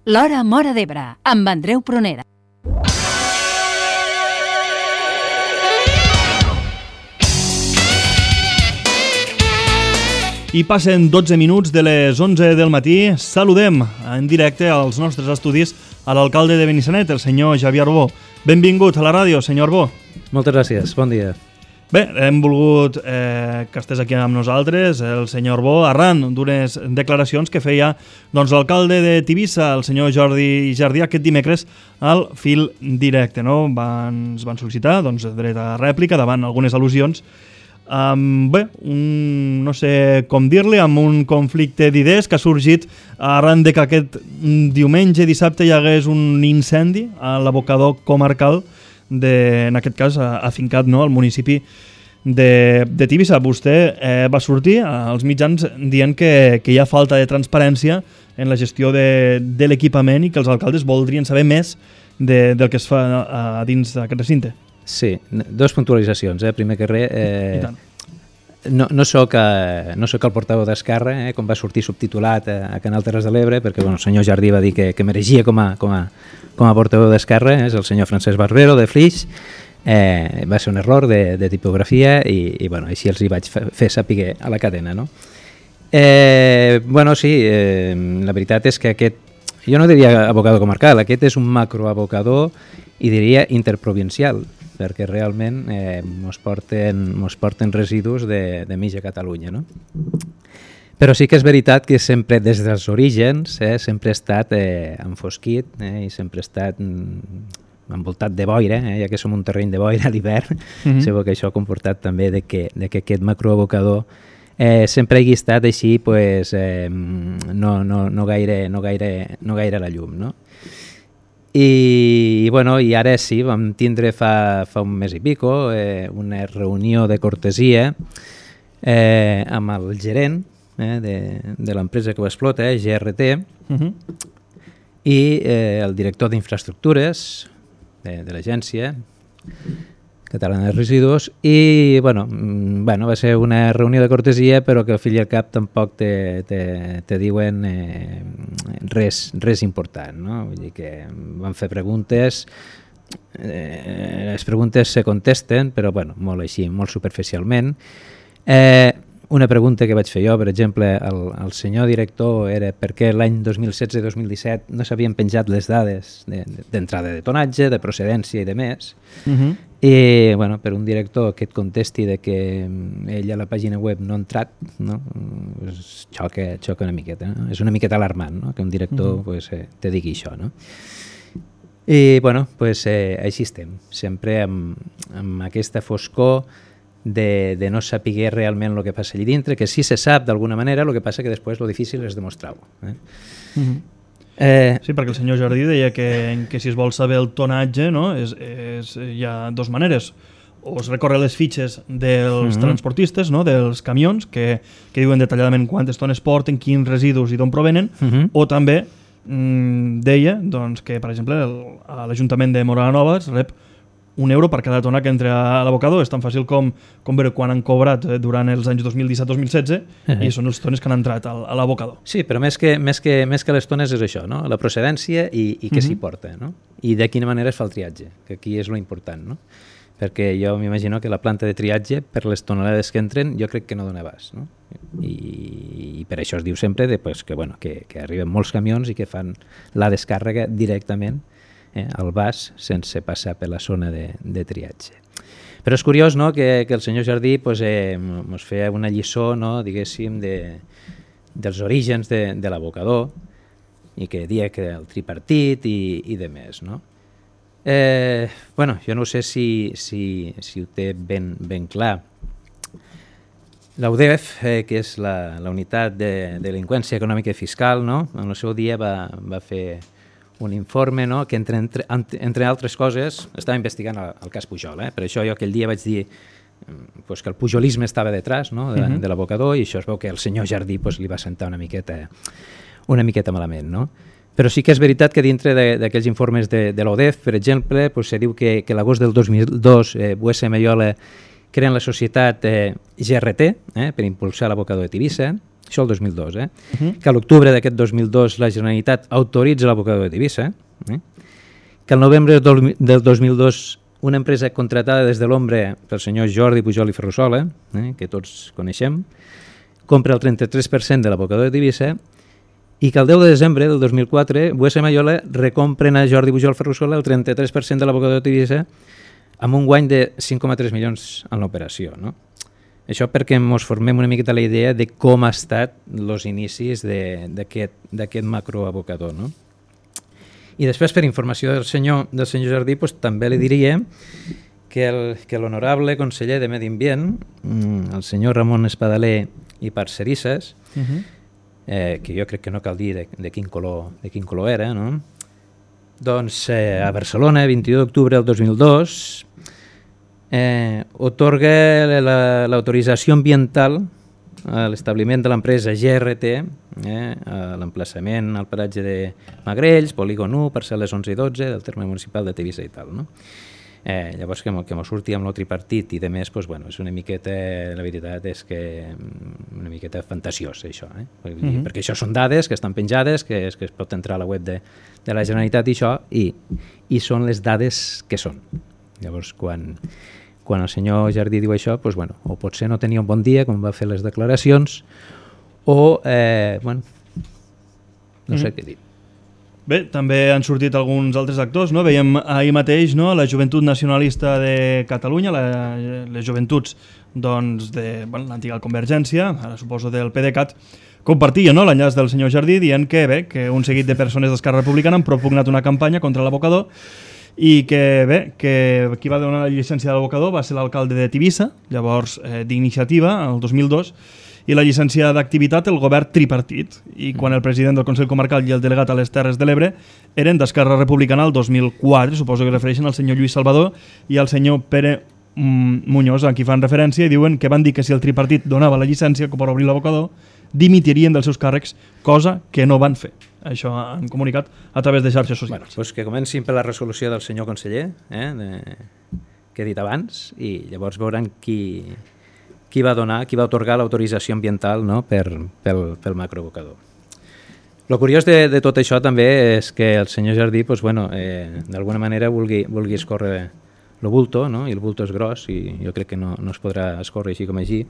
L'Hora Móra d'Ebre, amb Andreu Prunera. I passen 12 minuts de les 11 del matí. Saludem en directe als nostres estudis a l'alcalde de Benissanet, el senyor Xavier Arbó. Benvingut a la ràdio, senyor Arbó. Moltes gràcies, bon dia. Bé, hem volgut que estés aquí amb nosaltres, el senyor Arbó, arran d'unes declaracions que feia l'alcalde de Tivissa, el senyor Jordi Jardí, aquest dimecres al Fil Directe. No? Ens van sol·licitar dret a rèplica davant algunes al·lusions. Bé, no sé com dir-li, amb un conflicte d'idees que ha sorgit arran de que aquest diumenge, dissabte, hi hagués un incendi a l'abocador comarcal en aquest cas afincat al municipi de Tivissa. Vostè va sortir als mitjans dient que hi ha falta de transparència en la gestió de l'equipament i que els alcaldes voldrien saber més del que es fa dins d'aquest recinte. Sí, dues puntualitzacions. Primer que res, no soc el portaveu d'Esquerra, com va sortir subtitulat a Canal Terres de l'Ebre, perquè el senyor Jardí va dir que mereixia com a portaveu d'Esquerra, és el senyor Francesc Barbero de Flix. Va ser un error de tipografia i així els hi vaig fer saber a la cadena. No? Sí, la veritat és que aquest, jo no diria abocador comarcal, aquest és un macroabocador i diria interprovincial, perquè realment mos porten residus de mitja Catalunya. No? Però sí que és veritat que sempre des dels orígens sempre ha estat enfosquit i sempre ha estat envoltat de boira, ja que som un terreny de boira a l'hivern. Segur que això ha comportat també que aquest macroabocador sempre hagi estat així, no gaire a la llum. No? I ara sí, vam tindre fa un mes i pico una reunió de cortesia amb el gerent de l'empresa que ho explota, GRT, i el director d'infraestructures de l'Agència Catalana de Residus, i va ser una reunió de cortesia, però que al fill i al cap tampoc te diuen res important. No? Vull dir que van fer preguntes, les preguntes se contesten, però molt així, molt superficialment. Una pregunta que vaig fer jo, per exemple, al senyor director, era per què l'any 2016-2017 no s'havien penjat les dades d'entrada de tonatge, de procedència i de més. I per un director que et contesti que ell a la pàgina web no ha entrat, no? Xoca una miqueta. No? És una miqueta alarmant, no? Que un director te digui això. No? I així estem, sempre amb aquesta foscor de no saber realment el que passa allà dintre, que sí se sap d'alguna manera, el que passa que després el difícil és demostrar-ho. Sí, perquè el senyor Jardí deia que si es vol saber el tonatge, no, hi ha dues maneres. O es recorre les fitxes dels transportistes, no, dels camions, que diuen detalladament quantes tones porten, quins residus i d'on provenen, o també deia que, per exemple, l'Ajuntament de Móra la Nova es rep €1 per cada tona que entra a l'abocador. És tan fàcil com veure quan han cobrat durant els anys 2017-2016 i són les tones que han entrat a l'abocador. Sí, però més que les tones és això, no? La procedència i què s'hi porta, no? I de quina manera es fa el triatge, que aquí és lo important, no? Perquè jo m'imagino que la planta de triatge, per les tonelades que entren, jo crec que no dona abast, no? I per això es diu sempre que arriben molts camions i que fan la descàrrega directament al vas sense passar per la zona de triatge. Però és curiós, no, que el senyor Jardí ens feia una lliçó, no, diguéssim, dels orígens de l'abocador i que dia que el tripartit i de més. No? Jo no sé si ho té ben clar. La UDEF, que és la unitat de delinqüència econòmica i fiscal, no, en el seu dia va fer un informe, no, que entre altres coses estava investigant el cas Pujol. Per això jo aquell dia vaig dir que el pujolisme estava detrás, no, de l'abocador, i això es veu que el senyor Jardí li va sentar una miqueta malament. No? Però sí que és veritat que dintre d'aquells informes de l'ODEF, per exemple, se diu que l'agost del 2002 Buesa i Maiola creen la societat GRT per impulsar l'abocador de Tivissa, això el 2002, que a l'octubre d'aquest 2002 la Generalitat autoritza l'abocador de Tivissa, que el novembre del 2002 una empresa contratada des de l'ombra pel senyor Jordi Pujol i Ferrusola, que tots coneixem, compra el 33% de l'abocador de Tivissa i que el 10 de desembre del 2004 Buesa i Maiola recompren a Jordi Pujol Ferrusola el 33% de l'abocador de Tivissa amb un guany de 5,3 milions en l'operació. No? Això perquè ens formem una miqueta la idea de com ha estat els inicis d'aquest macroabocador. No? I després, per informació del senyor Jardí, doncs, també li diria que l'honorable conseller de Medi Ambient, el senyor Ramon Espadaler i Parcerisses, que jo crec que no cal dir de quin color era, no? Doncs a Barcelona, 22 d'octubre del 2002, otorga l'autorització ambiental a l'establiment de l'empresa GRT, a l'emplaçament al paratge de Magrells, polígon 1, parcel·les 11 i 12 del terme municipal de Tivissa i tal. No? Llavors que m'ho surti amb el tripartit i de més, doncs, bueno, és una miqueta, la veritat és que una miqueta fantasiós això, perquè això són dades que estan penjades, que es pot entrar a la web de la Generalitat i això, i són les dades que són. Llavors quan el senyor Jardí diu això, doncs, bueno, o potser no tenia un bon dia, com va fer les declaracions, o, bueno, no sé què dir. Bé, també han sortit alguns altres actors, no? Veiem ahir mateix, no, la Joventut Nacionalista de Catalunya, les joventuts doncs, de l'antiga Convergència, ara suposo del PDeCAT, compartia, no, l'enllaç del senyor Jardí dient que, bé, que un seguit de persones d'Esquerra Republicana han propugnat una campanya contra l'abocador i que, bé, que qui va donar la llicència de l'abocador va ser l'alcalde de Tivissa, llavors d'Iniciativa, el 2002, i la llicència d'activitat el govern tripartit, i quan el president del Consell Comarcal i el delegat a les Terres de l'Ebre eren d'Esquerra Republicana el 2004, suposo que refereixen al senyor Lluís Salvador i al senyor Pere Muñoz, a qui fan referència, i diuen que van dir que si el tripartit donava la llicència per obrir l'abocador, dimitirien dels seus càrrecs, cosa que no van fer. Això han comunicat a través de xarxes socials. Bueno, doncs que comencin per la resolució del senyor conseller, que he dit abans, i llavors veuran qui va atorgar l'autorització ambiental, no, pel macroabocador. El curiós de tot això també és que el senyor Jardí doncs, bueno, d'alguna manera vulgui escórrer el bulto, no? I el bulto és gros i jo crec que no es podrà escórrer així com així,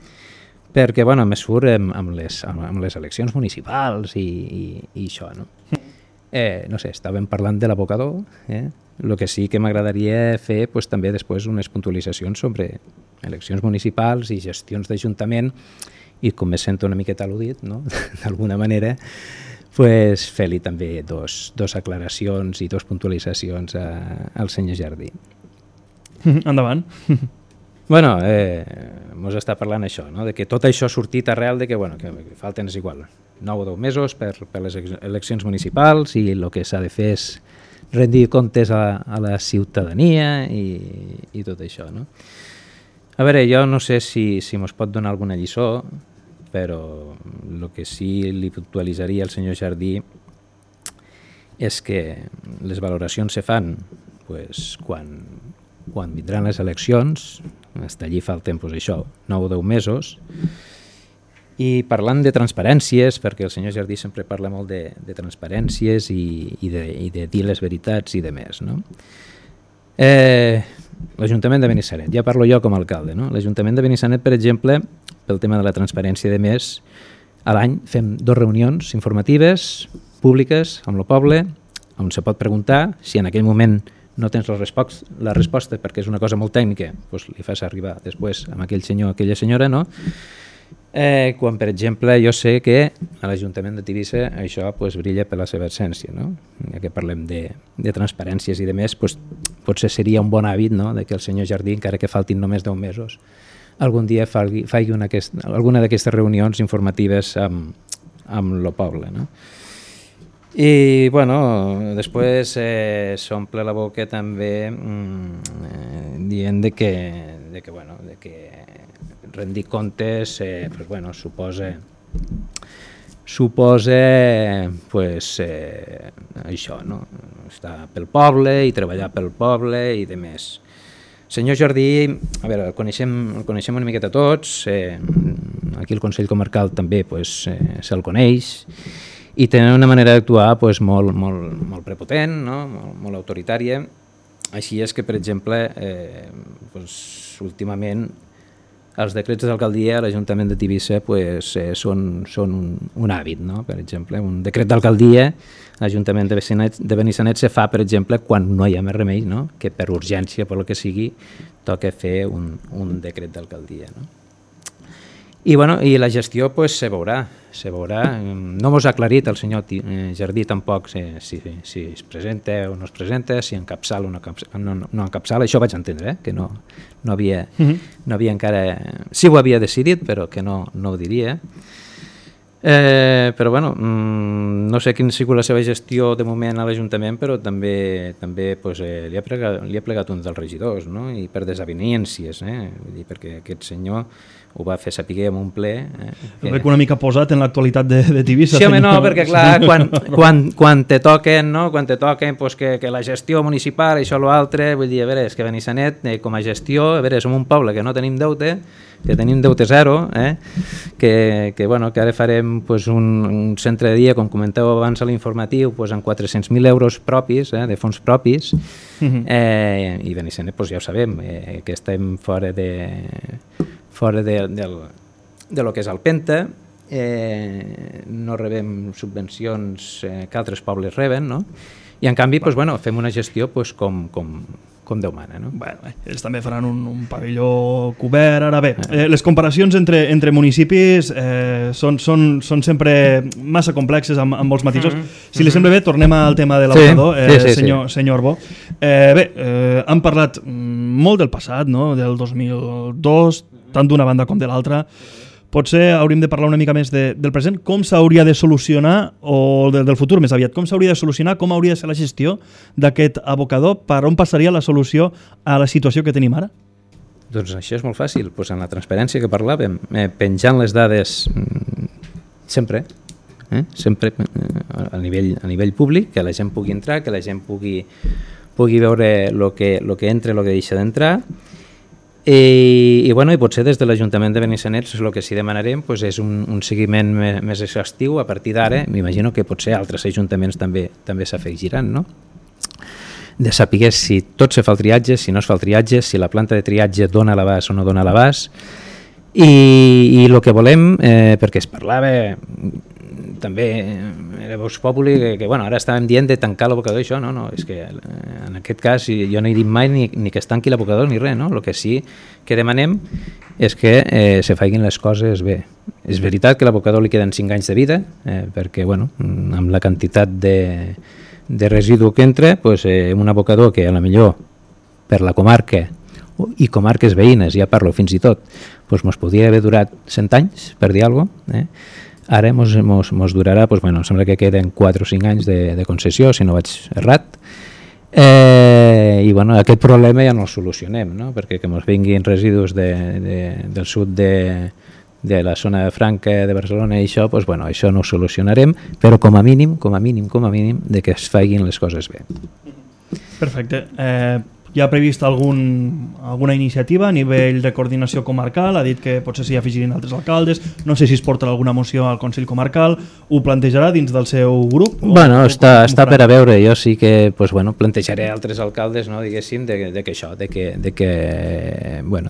perquè bueno, més surt amb les eleccions municipals i això. No? No sé, estàvem parlant de l'abocador, el que sí que m'agradaria fer doncs, també després unes puntualitzacions sobre eleccions municipals i gestions d'Ajuntament i com me sento una miqueta al·ludit, no? D'alguna manera, pues, fer-li també dos aclaracions i dos puntualitzacions al senyor Jardí. Endavant. Bueno, mos està parlant això, no? De que tot això ha sortit arrel de que, bueno, que falten és igual 9 o 10 mesos per les eleccions municipals i el que s'ha de fer és rendir comptes a la ciutadania i tot això, no? A veure, jo no sé si mos pot donar alguna lliçó, però el que sí li puntualitzaria al senyor Jardí és que les valoracions se fan pues, quan vindran les eleccions, hasta allí falten pues, això, 9 o 10 mesos, i parlant de transparències, perquè el senyor Jardí sempre parla molt de transparències i de dir les veritats i de més, no? L'Ajuntament de Benissanet, ja parlo jo com a alcalde, no? L'Ajuntament de Benissanet, per exemple, pel tema de la transparència i de més, a l'any fem 2 reunions informatives, públiques, amb el poble, on se pot preguntar si en aquell moment no tens la resposta perquè és una cosa molt tècnica, doncs li fas arribar després amb aquell senyor o aquella senyora, no? Quan, per exemple, jo sé que a l'Ajuntament de Tivissa això pues, brilla per la seva essència, no? Ja que parlem de transparències i de més, pues, potser seria un bon hàbit, no? De que el senyor Jardí, encara que faltin només 10 mesos, algun dia faci alguna d'aquestes reunions informatives amb el poble, no? I, bueno, després s'omple la boca també dient de que rendir comptes pues, bueno, suposa pues, això, no? Estar pel poble i treballar pel poble i de més. Senyor Jardí, a veure, el coneixem una miqueta tots, aquí el Consell Comarcal també se'l coneix, i tenen una manera d'actuar molt prepotent, no? molt autoritària. Així és que, per exemple, últimament els decrets d'alcaldia a l'Ajuntament de Tivissa són un hàbit, no? Per exemple, un decret d'alcaldia a l'Ajuntament de Benissanet se fa, per exemple, quan no hi ha més remei, no? Que per urgència, per el que sigui, toca fer un decret d'alcaldia, no? I la gestió se veurà. No mos ha aclarit el senyor Jardí tampoc si es presenta o no es presenta, si encapçala o no encapçala. Això vaig entendre, que no havia encara... Sí ho havia decidit, però que no ho diria. Però no sé quina ha sigut la seva gestió de moment a l'Ajuntament, però també li ha plegat un dels regidors, no? I per desavinencies, vull dir, perquè aquest senyor ho va fer saber en un ple. El veig una mica posat en l'actualitat de Tivissa. Sí, home, no, perquè clar, quan te toquen, no? Quan te toquen que la gestió municipal, això o l'altre, vull dir, a veure, és que Benissanet, com a gestió, a veure, som un poble que no tenim deute, que tenim deute zero, que ara farem un centre de dia, com comenteu abans a l'informatiu, amb 400.000 euros propis, de fons propis, i Benissanet, ja ho sabem, que estem fora de lo que és el Penta, no rebem subvencions que altres pobles reben, no? I en canvi fem una gestió com Déu mana, no? Ells també faran un pavelló cobert. Ara bé, les comparacions entre municipis són sempre massa complexes amb molts matisos. Si li sembla bé, tornem al tema de l'abocador, senyor Arbó. Han parlat molt del passat, no? Del 2002, tant d'una banda com de l'altra. Potser hauríem de parlar una mica més del present, com s'hauria de solucionar, o del futur més aviat, com s'hauria de solucionar, com hauria de ser la gestió d'aquest abocador, per on passaria la solució a la situació que tenim ara? Doncs això és molt fàcil, en la transparència que parlàvem, penjant les dades sempre a nivell públic, que la gent pugui entrar, que la gent pugui veure el que entra i el que deixa d'entrar. I potser des de l'Ajuntament de Benissanet el que sí demanarem és un seguiment més exhaustiu. A partir d'ara m'imagino que potser altres ajuntaments també s'afegiran, no? De saber si tot se fa el triatge, si no es fa el triatge, si la planta de triatge dona l'abast o no dona l'abast, i el que volem, perquè es parlava també era Vox Populi, que ara estàvem dient de tancar l'abocador, això no, és que en aquest cas jo no he dit mai ni que es tanqui l'abocador ni res, no? El que sí que demanem és que se facin les coses bé. És veritat que a l'abocador li queden 5 anys de vida, perquè amb la quantitat de residu que entra, un abocador que a la millor per la comarca i comarques veïnes, ja parlo fins i tot, mos podria haver durat 100 anys, per dir alguna cosa, ara mos durarà, em sembla que queden 4 o 5 anys de concessió, si no vaig errat, i aquest problema ja no el solucionem, no? Perquè que mos vinguin residus del sud de la zona franca de Barcelona i això, això no ho solucionarem, però com a mínim, de que es facin les coses bé. Perfecte. Hi ha previst alguna iniciativa a nivell de coordinació comarcal? Ha dit que potser s'hi afegirin altres alcaldes, no sé si es portarà alguna moció al Consell Comarcal, ho plantejarà dins del seu grup? Està per a veure, jo sí que plantejaré altres alcaldes, no, diguéssim,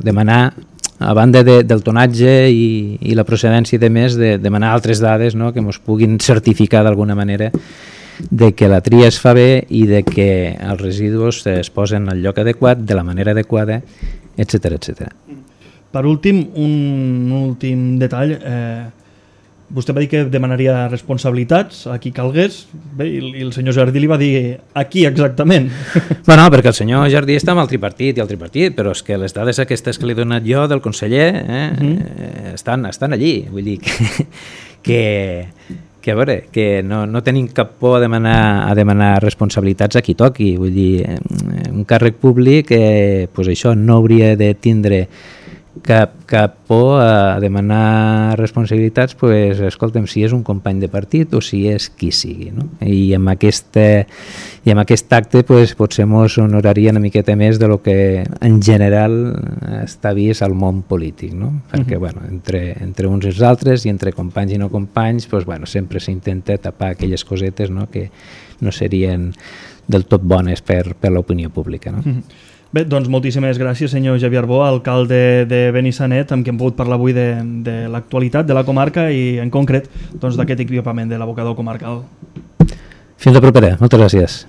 demanar, a banda del tonatge i la procedència de més, demanar altres dades, no, que ens puguin certificar d'alguna manera de que la tria es fa bé i de que els residus es posen al lloc adequat, de la manera adequada, etc. Per últim, un últim detall. Vostè va dir que demanaria responsabilitats a qui calgués, bé, i el senyor Jardí li va dir a qui exactament? Perquè el senyor Jardí està amb el tripartit, però és que les dades aquestes que li he donat jo del conseller estan allí, vull dir que a veure, que no tenim cap por a demanar responsabilitats a qui toqui, vull dir, un càrrec públic això no hauria de tindre cap por a demanar responsabilitats, pues, escolta'm, si és un company de partit o si és qui sigui, no? I amb aquest acte pues, potser ens honoraria una miqueta més de lo que en general està vist al món polític, no? Perquè bueno, entre uns i els altres i entre companys i no companys pues, bueno, sempre s'intenta tapar aquelles cosetes, no? Que no serien del tot bones per l'opinió pública, no? Bé, doncs moltíssimes gràcies, senyor Xavier Bo, alcalde de Benissanet, amb qui hem pogut parlar avui de l'actualitat de la comarca i en concret doncs, d'aquest equipament de l'abocador comarcal. Fins la propera, moltes gràcies.